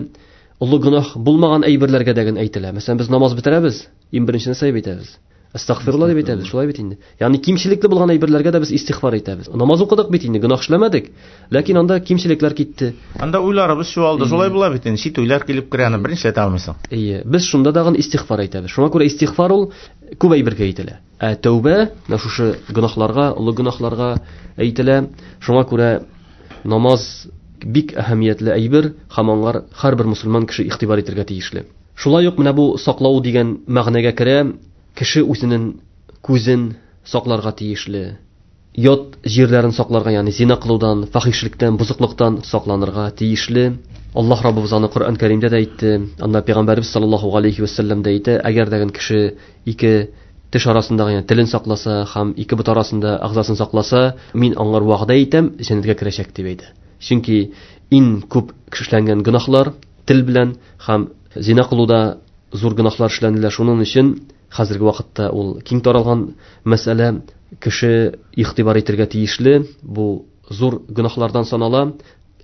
олы гөнаһ булмаган әйберләргә дә генә әйтелә. Мәсәлән, без намаз бетерәбез, иң беренче нәрсә әйтәбез? Әстәгъфирулла дип әйтәбез, шулай бит инде. Ягъни кимчелекле булган әйберләргә дә без истигъфар әйтәбез. Намаз укыдык бит инде, гөнаһ эшләмәдек, ләкин анда кимчелекләр китте. Анда уйларыбыз чуалды, шулай була бит инде. Чит уйлар килеп керә, аны берничә әйтә алмыйсың. Әйе, без шунда тагын истигъфар әйтәбез. Шуңа күрә истигъфар ул күп әйбергә әйтелә. Ә тәүбә менә шушы гөнаһларга, олы гөнаһларга әйтелә. Шуңа күрә намаз бик әһәмиятле әйбер һәм аңар һәрбер мусульман кеше игътибар итәргә тиешле. Шулай ук менә бу саклау дигән мәгънәгә керә. Кеше үзенең күзен сакларга тиешле, ят җирләрен сакларга, ягъни зина кылудан, фахишлектән, бозыклыктан сакланырга тиешле. Аллаһ Раббыбыз аны Коръән Кәримдә дә әйтте, анда Пәйгамбәрбез саллаллаһу алейхи ва сәлләм дә әйтә, әгәр дә кеше ике теш арасындагы, ягъни телен сакласа һәм ике бот арасында агзасын сакласа, мин аңар вәгъдә итәм, җәннәткә керәчәк дип әйтә. Чөнки иң күп эшләнгән гөнаһлар тел белән һәм зина кылуда зур гөнаһлар эшләнелә. Шуның өчен хәзерге вакытта ул киң таралган мәсьәлә, кеше игътибар итәргә тиешле, бу зур гөнаһлардан санала.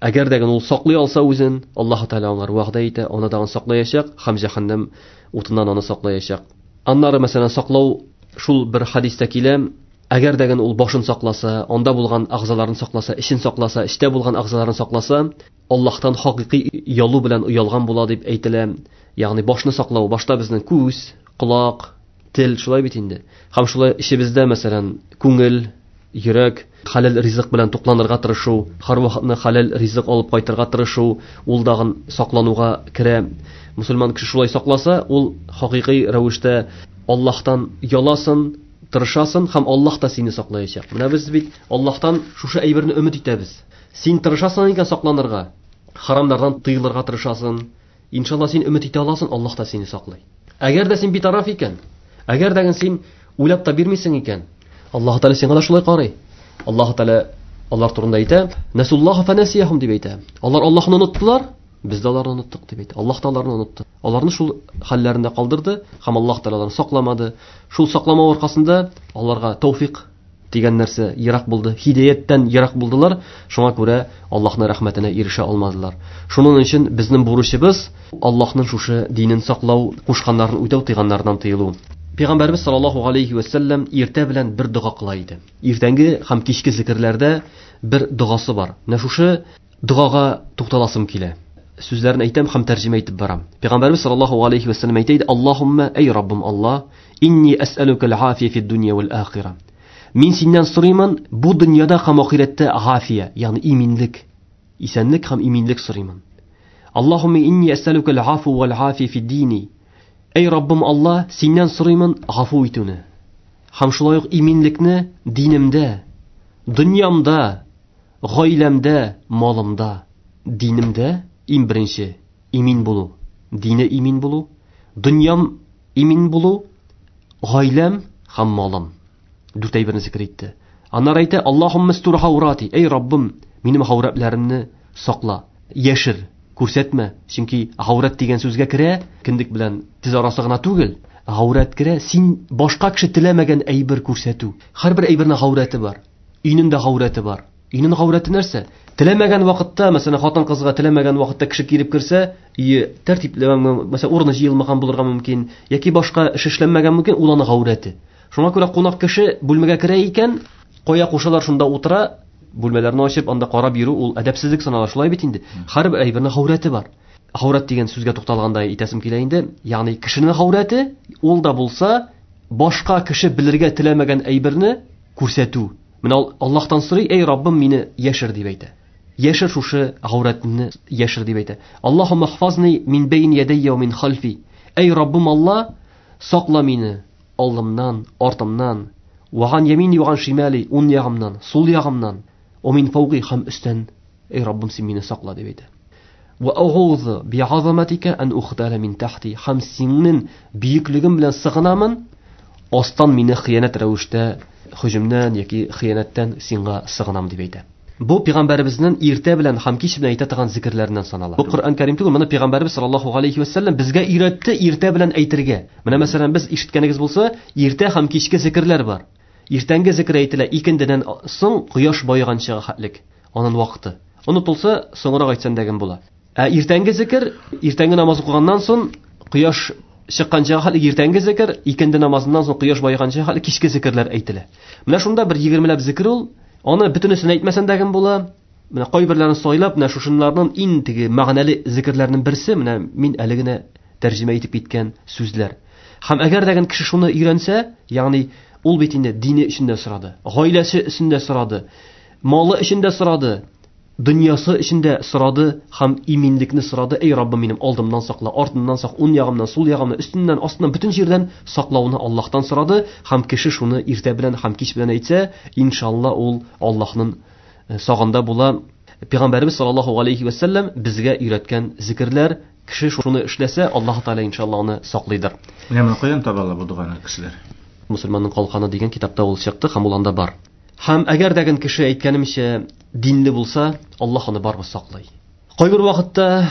Әгәр дә ул саклый алса үзен, Аллаһ Тәгалә аңар вәгъдә итә, аны да саклаячак һәм җәһәннәм утыннан аны саклаячак. Аннары, мәсәлән, саклау шул бер хадистә килә, әгәр дә ул башын сакласа, анда булган агзаларын сакласа, эчен сакласа, эчтә булган агзаларын сакласа, Аллаһтан хакыйкый оялу белән оялган була дип әйтелә. Ягъни башны саклау, башта безнең күз, колак, тел, шулай бит инде. Һәм шулай эчебездә, мәсәлән, күңел, йөрәк, хәләл ризык белән тукланырга тырышу, һәрвакытны хәләл ризык алып кайтырга тырышу, ул дагын саклануга керә. Мусульман кеше шулай сакласа, ул хакыйкый рәвештә Аллаһтан яласын, тырышасын һәм Аллаһ та сине саклаячак. Менә без бит Аллаһтан шушы әйберне өмет итәбез. Син тырышасың икән сакланырга, харамнардан тыелырга тырышасың. Иншалла син өмет итә аласың, Аллаһ та сине саклый. Әгәр дә син битараф икән, әгәр дә син уйлап та бирмисең икән, Аллаһ Тәгалә сиңа да шулай карый. Аллаһ Тәгалә алар турында әйтә, Насуллаһа фанасияхум дип әйтә. Алар Аллаһны оныттылар, без дә аларны оныттык дип әйтә. Аллаһ та аларны онытты. Аларны шул хәлләрендә калдырды һәм Аллаһ Тәгалә аларны сакламады. Шул сакламау аркасында аларга тәүфик дигән нәрсә ерак булды, һидаяттән ерак булдылар. Шуңа күрә Аллаһның рәхмәтенә ирешә алмадылар. Шуның өчен безнең бурычыбыз Аллаһның шушы динен саклау, кушканнарын үтәү, тыйганнардан тыелу. Пәйгамбәрбез саллаллаһу алейхи ва сәлләм иртә белән бер дога кыла иде. Иртәнге һәм кичке зикерләрдә бер догасы бар. Менә шушы догага тукталасым килә. Сүзләрен әйтәм һәм тәрҗемә итеп барам. Пәйгамбәрбез саллаллаһу алейхи ва сәлләм әйтә иде: Аллаһумма, эй Раббым Аллаһ, инни әсәлүкә аль-афия фид дөнья вәл ахира. Мин синнән сорыймын, бу дөньяда һәм ахирәттә гафия, ягъни иминлек, исәнлек һәм иминлек сорыймын. Аллаһумма инни әсәлүкә аль-афу вәл афия фид дини. Эй Раббым Аллаһ, синнән сорыймын гафу итүне. Һәм шулай ук иминлекне динемдә, дөньямда, гаиләмдә, малымда, динемдә иң беренче имин булу, дине имин булу, дөньям имин булу, гаиләм һәм малым. Дүрт әйберне зикр итте. Аннары әйтә: Аллаһумма стур хаурати. Эй Раббым, минем хаурәтләремне сакла, яшер, күрсәтмә. Чөнки хаурәт дигән сүзгә керә, кендек белән тез арасы гына түгел, хаурәт керә, син башка кеше теләмәгән әйбер күрсәтү. Һәрбер әйбернең хаурәте бар. Өйнең дә хаурәте бар. Өйнең хаурәте нәрсә? Теләмәгән вакытта, мәсәлән, хатын-кызга теләмәгән вакытта кеше килеп керсә, өе тәртипле, мәсәлән, урыны җыелмаган булырга мөмкин, яки башка эш эшләнмәгән мөмкин, ул аның хаурәте. Шуңа күрә кунак кеше бүлмәгә керә икән, кая кушалар шунда утыра, бүлмәләрне ачып, анда карап йөрү ул әдәпсезлек санала, шулай бит инде. Һәрбер әйбернең хаурәте бар. Хаурәт дигән сүзгә тукталганда әйтәсем килә инде, ягъни кешенең хаурәте, ул да булса, башка кеше белергә теләмәгән әйберне күрсәтү. Менә Аллаһтан сорый: "Эй Раббым, мине яшер" дип әйтә. Яшер шушы гаурәтне, яшер дип әйтә. Аллаһумма хфазни мин бейн ядайя ва мин халфи. Эй Раббым Аллаһ, сакла мине алдымнан, артымнан, ва ган ямини ва ган шимали, уң ягымнан, сул ягымнан, ва мин фауги һәм өстән. Эй Раббым, син мине сакла дип әйтә. Ва аузу би азаматика ан ухтала мин тахти. Һәм синең бөеклегең белән сыгынамын, астан мине хыянәт рәвештә һөҗүмнән яки хыянәттән сиңа сыгынам дип әйтә. Бу пәйгамбәребезнең иртә белән һәм кич белән әйтә торган зикерләреннән санала. Бу Коръән Кәрим түгел, моны пәйгамбәребез саллаллаһу алейхи ва саллям безгә өйрәтте иртә белән әйтергә. Менә мәсәлән, без ишеткәнегез булса, иртә һәм кичке зикерләр бар. Иртәнге зикер әйтелә икендедән соң кояш баеганчыга хәтлек, аның вакыты. Онытылса, соңрак әйтсәң дә була. Ә иртәнге зикер, иртәнге намаз укыганнан соң кояш чыкканчыга хәтлек иртәнге зикер, икенде намазыннан соң кояш баеганчыга хәтлек кичке зикерләр әйтелә. Менә шунда бер 20ләп зикер ул. Аны бөтенесен әйтмәсәң дә була. Менә кайберләрен сайлап, менә шушынларның иң теге мәгънәле зикерләрнең берсе, менә мин әле генә тәрҗемә итеп киткән сүзләр. Һәм әгәр дә кеше шуны өйрәнсә, ягъни ул бит инде дине өчен дә сорады, гаиләсе өчен дә сорады, малы өчен дә сорады, дөньясы өчен дә сорады һәм иминлекне сорады. Эй Раббым, минем алдымнан сакла, артымнан сак, уң ягымнан, сул ягымнан, өстемнән, астымнан, бөтен җирдән саклауны Аллаһтан сорады. Һәм кеше шуны иртә белән һәм кич белән әйтсә, иншалла ул Аллаһның сагында була. Пәйгамбәребез саллаллаһу алейхи ва саллям безгә өйрәткән зикерләр, кеше шуны эшләсә, Аллаһ Тәгалә иншалла аны саклыйдыр. Менә моны каян таба ала бу доганы кешеләр? Мусульманның калканы дигән китапта ул чыкты һәм ул анда бар. Һәм әгәр дә кеше әйткәнемчә динле булса, Аллаһ аны барыбер саклый. Кайбер вакытта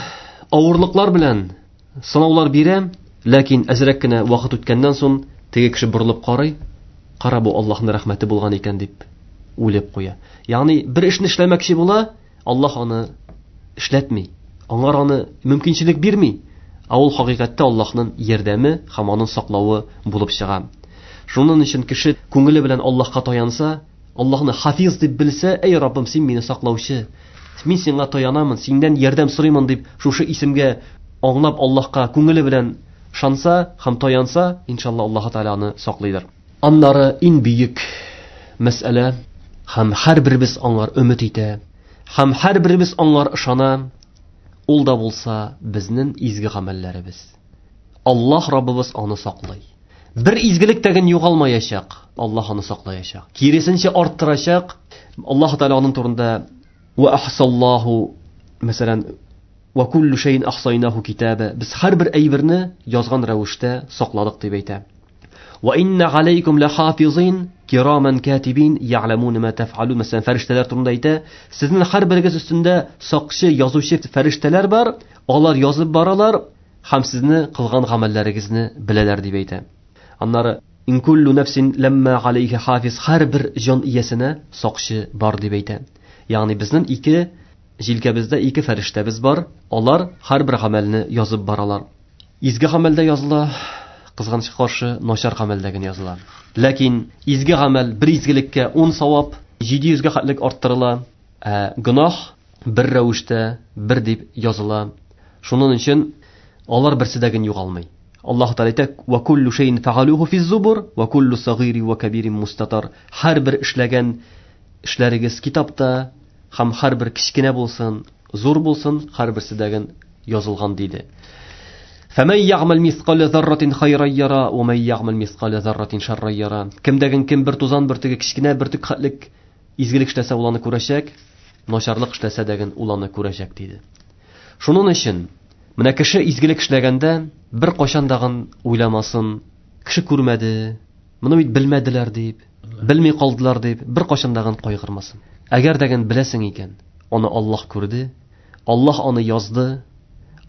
авырлыклар белән сынаулар бирә, ләкин әзрәк кенә вакыт үткәннән соң теге кеше борылып карый, кара бу Аллаһның рәхмәте булган икән дип уйлап куя. Ягъни бер эшне эшләмәкче була, Аллаһ аны эшләтми. Аңар аны мөмкинчелек бирми. Ә ул хакыйкатьтә Аллаһның ярдәме һәм аның саклавы булып чыга. Шуның өчен кеше күңеле белән Аллаһка таянса, Аллаһны хафиз дип белсә, эй Раббым, син мине саклаучы, мин сиңа таянамын, синнән ярдәм сорыймын дип шушы исемгә аңлап Аллаһка күңеле белән шанса һәм таянса, иншалла Аллаһ Тәгалә аны саклыйдыр. Аннары иң бөек мәсьәлә, һәм һәрберебез аңар өмет итә, һәм һәрберебез аңар ышана, ул да булса безнең изге гамәлләребез. Аллаһ Раббыбыз аны саклый. Бер изгелек тәген югалмаячак, Аллаһ аны саклаячак. Киресенчә арттырачак. Аллаһ Тәгалә аның турында ва ахсаллаху, мәсәлән, ва куллу шәйин ахсайнаху китаба. Без һәрбер әйберне язган рәвештә сакладык дип әйтә. Ва инна алейкум лахафизин кираман катибин я'ламун ма таф'алун. Мәсәлән, фәрештәләр турында әйтә, сезнең һәрберегез өстендә сакчы, язучы фәрештәләр бар, алар язып баралар һәм сезне кылган гамәлләрегезне беләләр дип әйтә. Аннары ин куллу нафсин ламма алейха хафиз, һәрбер җан иясенә сакчы бар дип әйтә. Ягъни безнең ике җилкәбездә ике фәрештәбез бар, алар һәрбер гамәлне язып баралар. Изге гамәлдә языла, кызганычка каршы начар гамәлдә генә языла. Ләкин изге гамәл бер изгелеккә 10 савап, 700гә хәтлек арттырыла, ә гөнаһ бер рәвештә бер дип языла. Шуның өчен алар берсе дә генә югалмый. Аллаһ Тәгалә әйтә: "Ва куллу шәйин фәгалуһу физ-зубур, ва куллу сагири ва кабирин мустатар." Һәрбер эшләгән эшләрегез китапта, һәм һәрбер кечкенә булсын, зур булсын, һәрберсе дә генә язылган диде. Фәмән ягъмәл мисқалә зарратин хайран яра, ва ман ягъмәл мисқалә зарратин шарран яра. Кемдәген кем бер тузан бөртеге кечкенә бөртек хәтлек изгелек эшләсә, ул аны күрәчәк, начарлык эшләсә дә ул аны күрәчәк диде. Шуның өчен менә кеше изгелек эшләгәндә бер кашан дагын уйламасын, кеше күрмәде, моны бит белмәделәр дип, белми калдылар дип, бер кашан дагын кайгырмасын. Әгәр дәген беләсең икән, аны Аллаһ күрде, Аллаһ аны язды,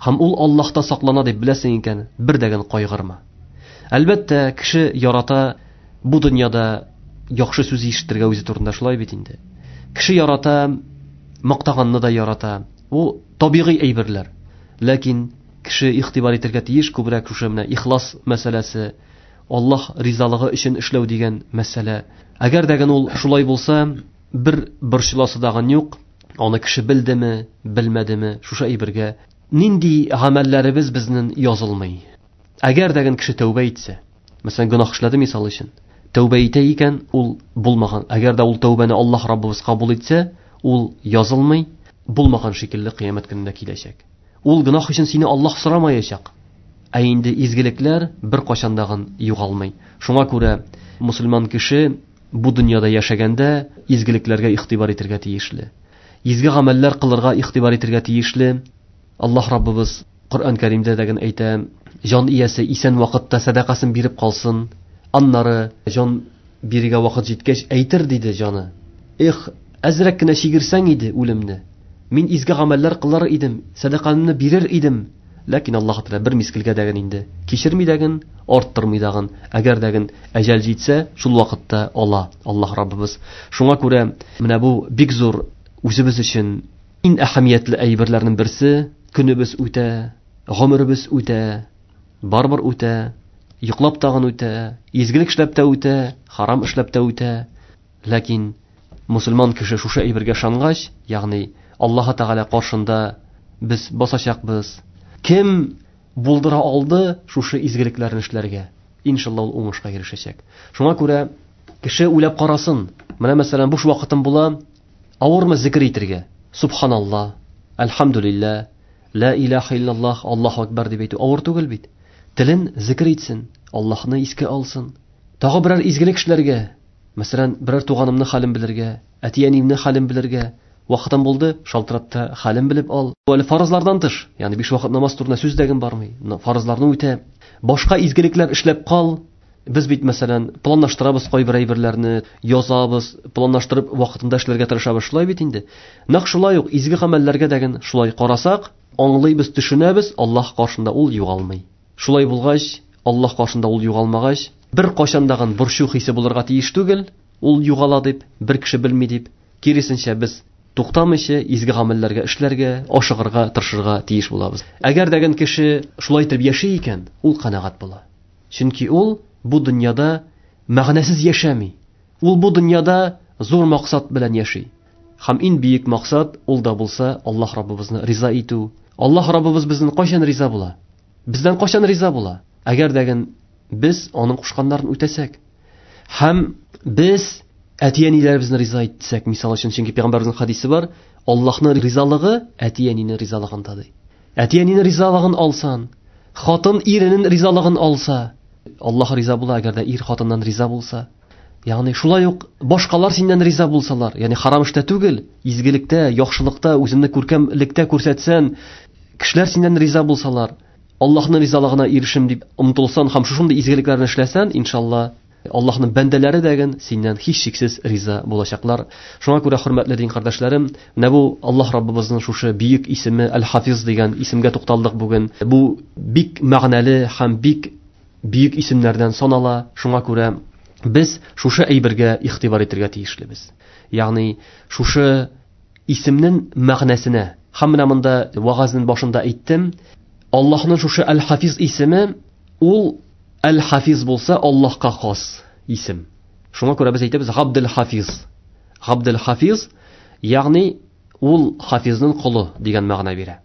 һәм ул Аллаһта саклана дип беләсең икән, бер дәген кайгырма. Әлбәттә, кеше ярата бу дөньяда яхшы сүз ишетергә үзе турында, шулай бит инде. Кеше ярата, мактаганны да ярата. Бу табигый әйберләр. Ләкин кеше игътибар итәргә тиеш күбрәк шушы менә ихлас мәсьәләсе, Аллаһ ризалыгы өчен эшләү дигән мәсьәлә. Әгәр дә ул шулай булса, бер борчыласы дагын юк. Аны кеше белдеме, белмәдеме, шушы әйбергә нинди гамәлләребез безнең язылмый. Әгәр дә кеше тәүбә итсә, мәсәлән, гөнаһ эшләде мисал өчен, тәүбә итә икән, ул булмаган. Әгәр дә ул тәүбәне Аллаһ Раббыбыз кабул итсә, ул язылмый, булмаган шикелле кыямәт көнендә киләчәк. Ул гөнаһ өчен сине Аллаһ сорамаячак. Ә инде изгелекләр бер кашан дагын югалмый. Шуңа күрә мусульман кеше бу дөньяда яшәгәндә изгелекләргә игътибар итәргә тиешле. Изге гамәлләр кылырга игътибар итәргә тиешле. Аллаһ Раббыбыз Коръән Кәримдә дә генә әйтә, җан иясе исән вакытта сәдакасын биреп калсын, аннары җан бирергә вакыт җиткәч әйтер диде җаны. Эх, әзрәк кенә чигерсәң иде үлемне. Мин изге гамәлләр кылар идем, сәдакамны бирер идем. Ләкин Аллаһ Тәгалә бер мизгелгә дәген инде кичерми дәген, арттырмый дагын. Әгәр дәген әҗәл җитсә, шул вакытта ала Аллаһ Раббыбыз. Шуңа күрә менә бу бик зур үзебез өчен иң әһәмиятле әйберләрнең берсе. Көнебез үтә, гомеребез үтә, барыбер үтә, йоклап тагын үтә, изгелек эшләп тә үтә, харам эшләп тә үтә. Ләкин мусульман кеше шушы әйбергә ышангач, ягъни Аллаһ Тәгалә каршында без басачакбыз. Кем булдыра алды шушы изгелекләрне эшләргә? Иншалла ул уңышка ирешәчәк. Шуңа күрә кеше уйлап карасын. Менә мәсәлән, буш вакытым була, авырмы зикр итергә? Субханалла, әлхәмдүлилләһ, ла илаһа иллаллаһ, Аллаһу акбар дип әйтү авыр түгел бит. Телен зикр итсен, Аллаһны искә алсын. Тагы берәр изгелек эшләргә, мәсәлән, берәр туганымны хәлен белергә, әти-әниемне хәлен белергә, вакытым булды, шалтырат та хәлен белеп ал. Әле фарызлардан тыш, ягъни биш вакыт намаз турында сүз дә генә бармый. Фарызларны үтә. Башка изгелекләр эшләп кал. Без бит, мәсәлән, планлаштырабыз кайбер әйберләрне, язабыз, планлаштырып вакытында эшләргә тырышабыз, шулай бит инде. Нәкъ шулай ук изге гамәлләргә дә генә шулай карасак, аңлыйбыз, төшенәбез, Аллаһ каршында ул югалмый. Шулай булгач, Аллаһ каршында ул югалмагач, бер кайчан да борчу хисе булырга тиеш түгел, ул югала дип, бер кеше белми дип, киресенчә без туктамыйча изге гамәлләргә эшләргә, ашыгырга, тырышырга тиеш булабыз. Әгәр дә кеше шулай итеп яши икән, ул канәгать була. Чөнки ул бу дөньяда мәгънәсез яшәми. Ул бу дөньяда зур максат белән яши. Һәм иң бөек максат ул да булса Аллаһ Раббыбызны риза итү. Аллаһ Раббыбыз бездән кайчан риза була? Бездән кайчан риза була? Әгәр дә без аның кушканнарын үтәсәк. Һәм без әти-әниләребезне риза итсәк, мисал өчен, чөнки пәйгамбәребезнең хадисе бар, Аллаһның ризалыгы әти-әнинең ризалыгында ди. Әти-әнинең ризалыгын алсан, хатын иренең ризалыгын алса, Аллаһ риза була, әгәр дә ир хатыннан риза булса. Ягъни шулай ук башкалар синнән риза булсалар, ягъни харам эштә түгел, изгелектә, яхшылыкта, үзеңне күркәмлектә күрсәтсән, кешеләр синнән риза булсалар, Аллаһның ризалыгына ирешим дип омтылсан һәм шушындый изгелекләрне эшләсән, иншалла, Аллаһның бәндәләре дә синнән һичшиксез риза булачаклар. Шуңа күрә, хөрмәтле дин кардәшләрем, менә бу Аллаһ Раббыбызның шушы бөек исеме Әл-Хафиз дигән исемгә тукталдык бүген. Бу бик мәгънәле һәм бик бөек исемнәрдән санала. Шуңа күрә без шушы әйбергә игътибар итәргә тиешлебез. Ягъни шушы исемнең мәгънәсенә. Һәм менә монда вагазның башында әйттем, Аллаһның шушы Әл-Хафиз исеме ул Әл-Хафиз булса Аллаһка хас исем. Шуңа күрә без әйтәбез Габдел Хафиз. Габдел Хафиз, ягъни ул Хафизның колы дигән мәгънә бирә.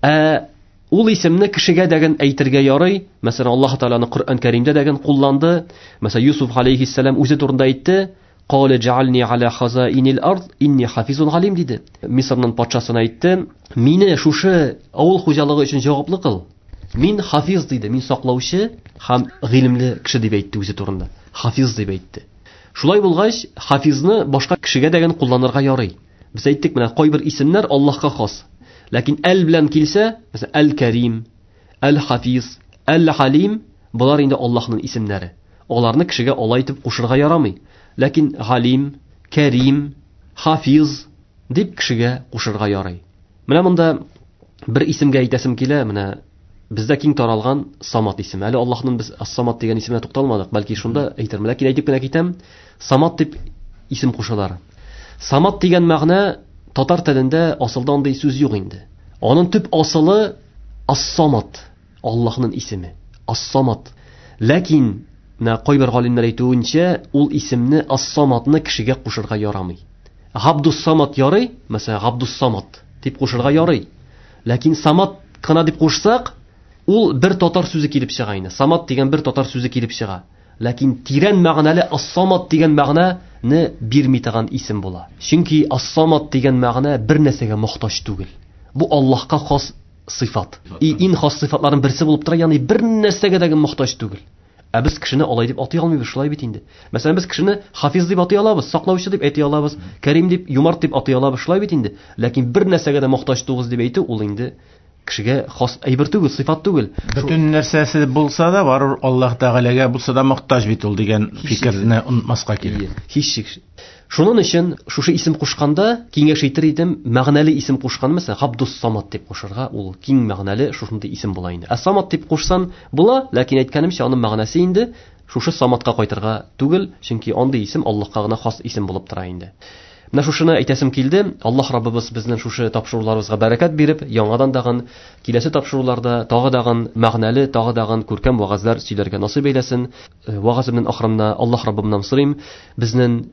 Ә ул исемне кешегә дәген әйтергә ярый. Мәсәлән, Аллаһ Тәгаләне Коръән Кәримдә дәген кулланды. Мәсәлән, Юсуф алейхиссәлам үзе турында әйтте: "Кале джални аля хазаинил ард, инни хафизун галим" диде. Мисырның патшасына әйтте: "Мине шушы авыл хуҗалыгы өчен җаваплы кыл. Мин хафиз диде, мин саклаучы һәм гыйлемле кеше дип әйтте үзе турында. Хафиз дип әйтте. Шулай булгач, хафизны башка кешегә дә кулланырга ярый. Без әйттек, менә кайбер исемнәр Аллаһка хас. Ләкин әл белән килсә, мәсәлән, Әл-Кәрим, Әл-Хафиз, Әл-Халим, болар инде Аллаһның исемнәре. Аларны кешегә алай итеп кушырга ярамый. Ләкин Галим, Кәрим, Хафиз дип кешегә кушырга ярый. Менә монда бер исемгә әйтәсем килә, менә бездә киң таралган Самат исеме. Әле Аллаһның без Ас-Самат дигән исеменә тукталмадык, бәлки шунда әйтермен. Ләкин әйтеп кенә китәм, Самат дип исем кушалар. Самат дигән мәгънә татар телендә асылда андый сүз юк инде. Аның төп асылы Ас-Самат, Аллаһның исеме. Ас-Самат. Ләкин менә кайбер галимнәр әйтүенчә, ул исемне Ас-Саматны кешегә кушырга ярамый. Габдус Самат ярый, мәсәлән, Габдус Самат дип кушырга ярый. Ләкин Самат кына дип кушсак, ул бер татар сүзе килеп чыга инде. Самат дигән бер татар сүзе килеп чыга. Ләкин тирән мәгънәле Ас-Самат дигән мәгънәне бирми торган исем була. Чөнки Ас-Самат дигән мәгънә бер нәрсәгә мохтаҗ түгел. Бу Аллаһка хас сыйфат. И иң хас сыйфатларның берсе булып тора, ягъни бер нәрсәгә дә мохтаҗ түгел. Ә без кешене алай дип атый алмыйбыз, шулай бит инде. Мәсәлән, без кешене хафиз дип атый алабыз, саклаучы дип әйтә алабыз, Кәрим дип, юмарт дип атый алабыз, шулай бит инде. Ләкин бер нәрсәгә дә мохтаҗ түгел дип әйтү ул инде Кешегә хас әйбер түгел, сыйфат түгел. Бөтен нәрсәсе булса да, барыбер Аллаһ Тәгаләгә булса да мохтаҗ бит ул дигән фикерне онытмаска кирәк. Һичшиксез. Шуның өчен шушы исем кушканда киңәш итер идем, мәгънәле исем кушкан, мәсәлән, Габдус Самат дип кушырга, ул киң мәгънәле шушындый исем була инде. Ә Самат дип кушсан була, ләкин әйткәнемчә, аның мәгънәсе инде шушы Саматка кайтырга түгел, чөнки андый исем Аллаһка гына хас исем булып тора инде. Менә шушыны әйтәсем килде. Аллаһ Раббыбыз безнең шушы тапшыруларыбызга бәрәкәт биреп, яңадан дагын киләсе тапшыруларда тагы дагын мәгънәле, тагы дагын күркәм вәгазьләр сөйләргә насыйп әйләсен. Вәгаземнең ахырында Аллаһ Раббымнан сорыйм, безнең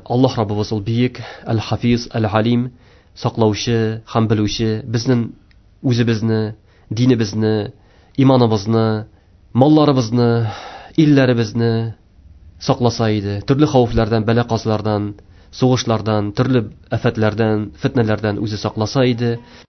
Аллаһ Раббыбыз ул бөек, Әл-Хафиз, Әл-Алим, саклаучы һәм белүче, безнең үзебезне, динебезне, иманыбызны, малларыбызны, илләребезне сакласа иде. Төрле хәвефләрдән, бәла-казалардан, сугышлардан, төрле афәтләрдән, фитнәләрдән үзе сакласа иде.